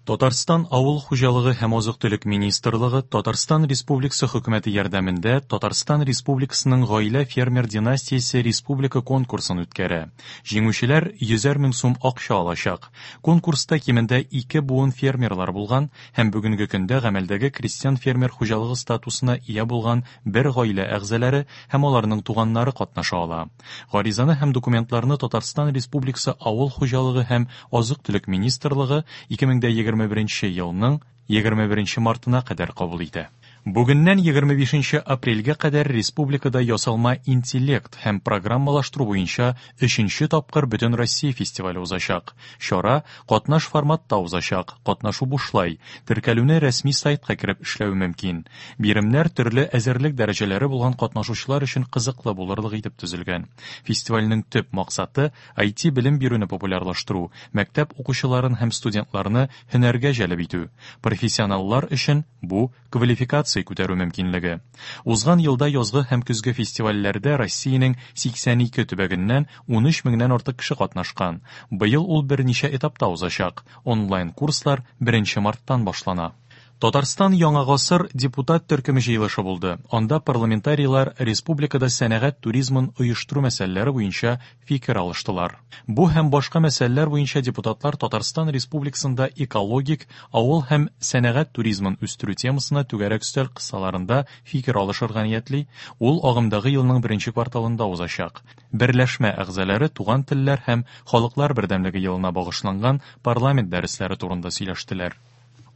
Татарстан Авыл хуҗалыгы һәм азык-төлек министрлыгы Татарстан Республикасы Хөкүмәте ярдәмендә Татарстан Республикасының гаилә фермер династиясе республика конкурсын үткәрә. Җиңүчеләр йөзәр мең сум акча алачак. Конкурста кимендә ике буын фермерлар булган һәм бүгенге көндә гамәлдәге крестьян-фермер хуҗалыгы статусына ия булган бер гаилә әгъзалары һәм аларның туганнары катнаша ала. Гаризаны һәм документларны Татарстан Республикасы Авыл хуҗалыгы һәм азык-төлек министрлыгы 2021 елның 21 мартына кадәр кабул итә. Бүгеннән 25 апрельгә кадәр республикада ясалма интеллект һәм программалаштыру буенча өченче тапкыр Бөтенроссия фестивале узачак. Чара катнаш форматта узачак, катнашу бушлай, теркәлүне рәсми сайтка кереп эшләү мөмкин. Биремнәр төрле әзерлек дәрәҗәләре булган катнашучылар өчен кызыклы булырлык итеп төзелгән. Фестивальнең төп максаты IT белем бирүне популярлаштыру, мәктәп укучыларын һәм студентларны һөнәргә җәлеп итү. Профессионаллар өчен бу квалификация күтәрү мөмкинлеге. Узган елда язгы һәм көзге фестивальләрдә Россиянең 82 төбәгеннән 13 меңнән артык кеше катнашкан. Быел ул берничә этапта узачак. Онлайн-курслар 1 марттан башлана. Татарстан Яңа гасыр депутат төркеме җыелышы булды. Анда парламентарийлар республикада сәнәгать туризмын оештыру мәсьәләләре буенча фикер алыштылар. Бу һәм башка мәсьәләләр буенча депутатлар Татарстан Республикасында экологик, авыл һәм сәнәгать туризмын үстерү темасына түгәрәк өстәл кысаларында фикер алышырга ниятли. Ул агымдагы елның беренче кварталында узачак. Берләшмә әгъзалары туган телләр һәм халыклар бердәмлеге елына багышланган парламент дәресләре турында сөйләштеләр.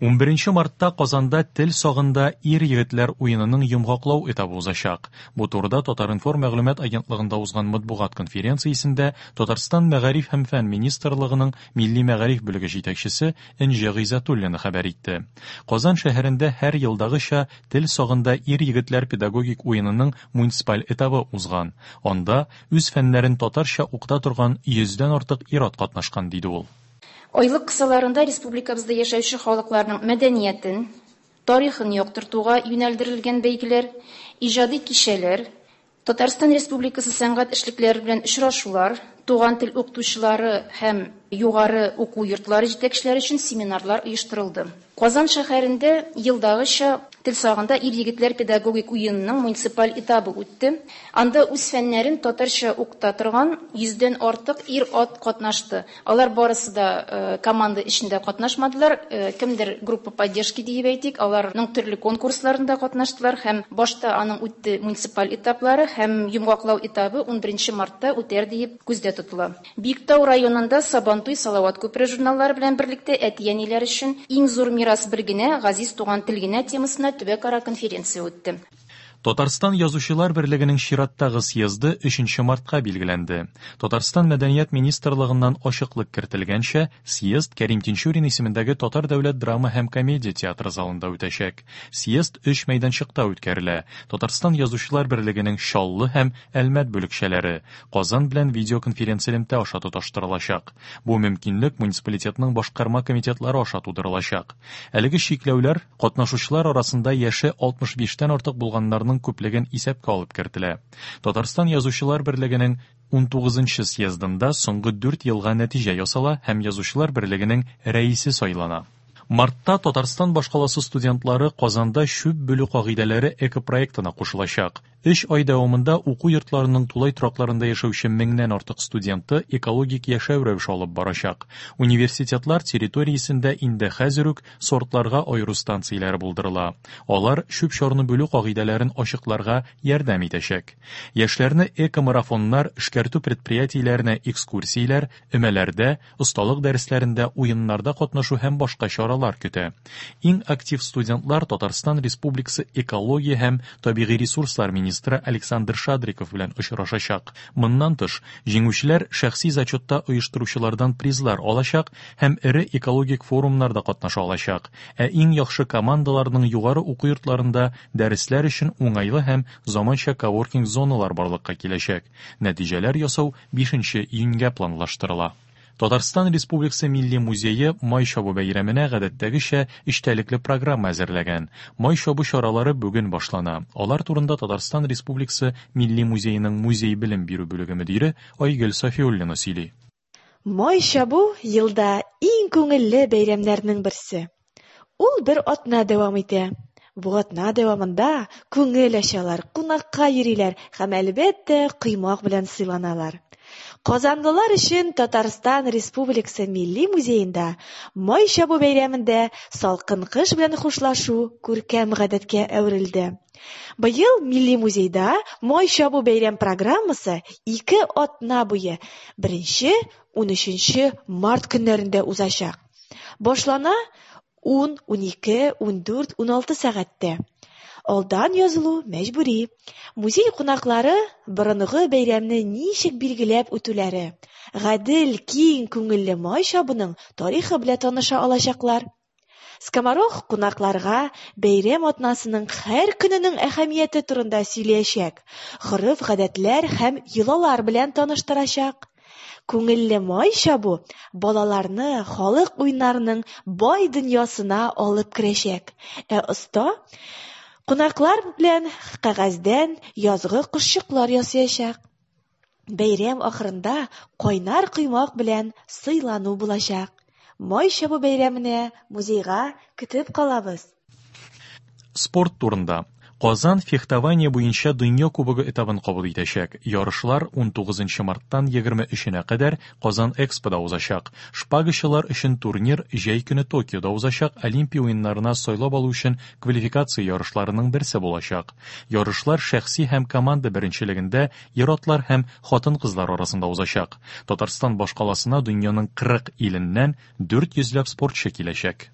11 мартта Казанда тел сагында ир-егетләр уенының йомгаклау этабы узачак. Бу турыда Татар-информ мәгълүмат агентлыгында узган матбугат конференциясендә Татарстан Мәгариф һәм фән министрлыгының милли мәгариф бүлеге җитәкчесе Энҗе Гыйззәтуллина хәбәр итте. Казан шәһәрендә һәр елдагыча тел сагында ир-егетләр педагогик уенының муниципаль этабы узган. Анда үз фәннәрен татарча укыта торган йөздән артык ир-ат катнашкан, диде ул. Айлык кысаларында республикабызда яшәүче халыкларның мәдәниятен, тарихын яктыртуга юнәлдерелгән бәйгеләр, иҗади кичәләр, Татарстан Республикасы сәнгать эшлекләре белән очрашулар, туган тел укытучылары һәм югары уку йортлары җитәкчеләре өчен семинарлар оештырылды. Казан шәһәрендә елдагыча тел сагында ир-егетләр педагогик уенының муниципаль этабы үтте. Анда үз фәннәрен татарча укыта торган йөздән артык ир-ат катнашты. Алар барысы да команда эчендә катнашмадылар. Кемдер группа поддержки диеп әйтик, аларның төрле конкурсларында катнаштылар һәм башта аның үтте муниципаль этаплары һәм йомгаклау этабы 11 мартта үтәр диеп күздә тотыла. Биектау районында Сабантуй, Салават күпере журналлары белән берлектә әти-әниләр өчен иң зур мирас бер генә, газиз туган тел генә темасына төбәкара конференция үтте. Татарстан Язучылар берлегенең чираттагы съезды 3 мартка билгеләнде. Татарстан Мәдәният министрлыгыннан ачыклык кертелгәнчә, съезд Кәрим Тинчурин исемендәге Татар дәүләт драма һәм комедия театры залында үтәчәк. Съезд өч мәйданчыкта үткәрелә. Татарстан Язучылар берлегенең Чаллы һәм Әлмәт бүлекчәләре Казан белән видеоконференцэлемтә аша тоташтырылачак. Бу мөмкинлек муниципалитетның башкарма комитетлары аша тудырылачак. Әлеге чикләүләр катнашучылар арасында яше 65-тән артык булганнарның күплеген исәпкә алып кертелә. Татарстан Язучылар берлегенең 19 съездында соңгы 4 елга нәтиҗә ясала һәм Язучылар берлегенең рәисе сайлана. Мартта Татарстан башкаласы студентлары Казанда чүп бүлү кагыйдәләре экопроектына кушылачак. Өч ай дәвамында уку йортларының тулай торакларында яшәүче меңнән артык студенты экологик яшәү рәвеше алып барачак. Университетлар территориясендә инде хәзер үк сортларга аеру станцияләре булдырыла. Алар чүп-чарны бүлү кагыйдәләрен ачыкларга ярдәм итәчәк. Яшьләрне экомарафоннар, эшкәртү предприятиеләренә экскурсияләр, өмәләрдә, осталык дәресләрендә, уеннарда катнашу һәм башка чаралар көтә. Иң актив студентлар Татарстан Республикасы экология һәм табигый ресурслар министры Александр Шадриков белән очрашачак. Моннан тыш, җиңүчеләр шәхси зачетта оештыручылардан призлар алачак һәм эре экологик форумнарда катнаша алачак. Ә иң яхшы командаларның югары уку йортларында дәресләр өчен уңайлы һәм заманча коворкинг зоналар барлыкка киләчәк. Нәтиҗәләр ясау 5 июньгә планлаштырыла. Татарстан Республикасы Милли музее Май чабу бәйрәменә гадәттәгечә эчтәлекле программа әзерләгән. Май чабу чаралары бүген башлана. Алар турында Татарстан Республикасы Милли музееның музей белем бирү бүлеге мөдире Айгөл Сафиуллина сөйли. Май чабу елда иң күңелле бәйрәмнәрнең берсе. Ул бер атна дәвам итә. Бу атна дәвамында күңел ачалар, кунакка йөриләр һәм, әлбәттә, коймак белән сыйланалар. Казанлылар өчен Татарстан Республикасы Милли музеенда Май чабу бәйрәмендә салкын кыш белән хушлашу күркәм гадәткә әверелде. Быел Милли музейда Май чабу бәйрәм программасы ике атна буе, 1, 13 март көннәрендә узачак. Башлана 10, 12, 14, 16 сәгатьтә. Алдан язылу мәҗбүри. Музей кунаклары борынгы бәйрәмне ничек билгеләп үтүләре, гадел, киң күңелле май чабуның тарихы белән таныша алачаклар. Скоморох кунакларга бәйрәм атнасының һәр көненең әһәмияте турында сөйләячәк, гореф-гадәтләр һәм йолалар белән таныштырачак. Күңелле май чабу балаларны халык уеннарының бай дөньясына алып керәчәк, ә оста кунаклар белән кәгазьдән язгы кошчыклар ясаячак. Бәйрәм ахырында кайнар коймак белән сыйлану булачак. Май чабу бәйрәменә музейга көтеп калабыз! Спорт турында. Казан фехтование буенча Дөнья кубогы этабын кабул итәчәк. Ярышлар 19 марттан 23-нә кадәр Казан Экспода узачак. Шпагачылар өчен турнир җәй көне Токиода узачак Олимпия уеннарына сайлап алу өчен квалификация ярышларының берсе булачак. Ярышлар шәхси һәм команда беренчелегендә ир-атлар һәм хатын-кызлар арасында узачак. Татарстан башкаласына дөньяның 40 иленнән 400 ләп спортчы киләчәк.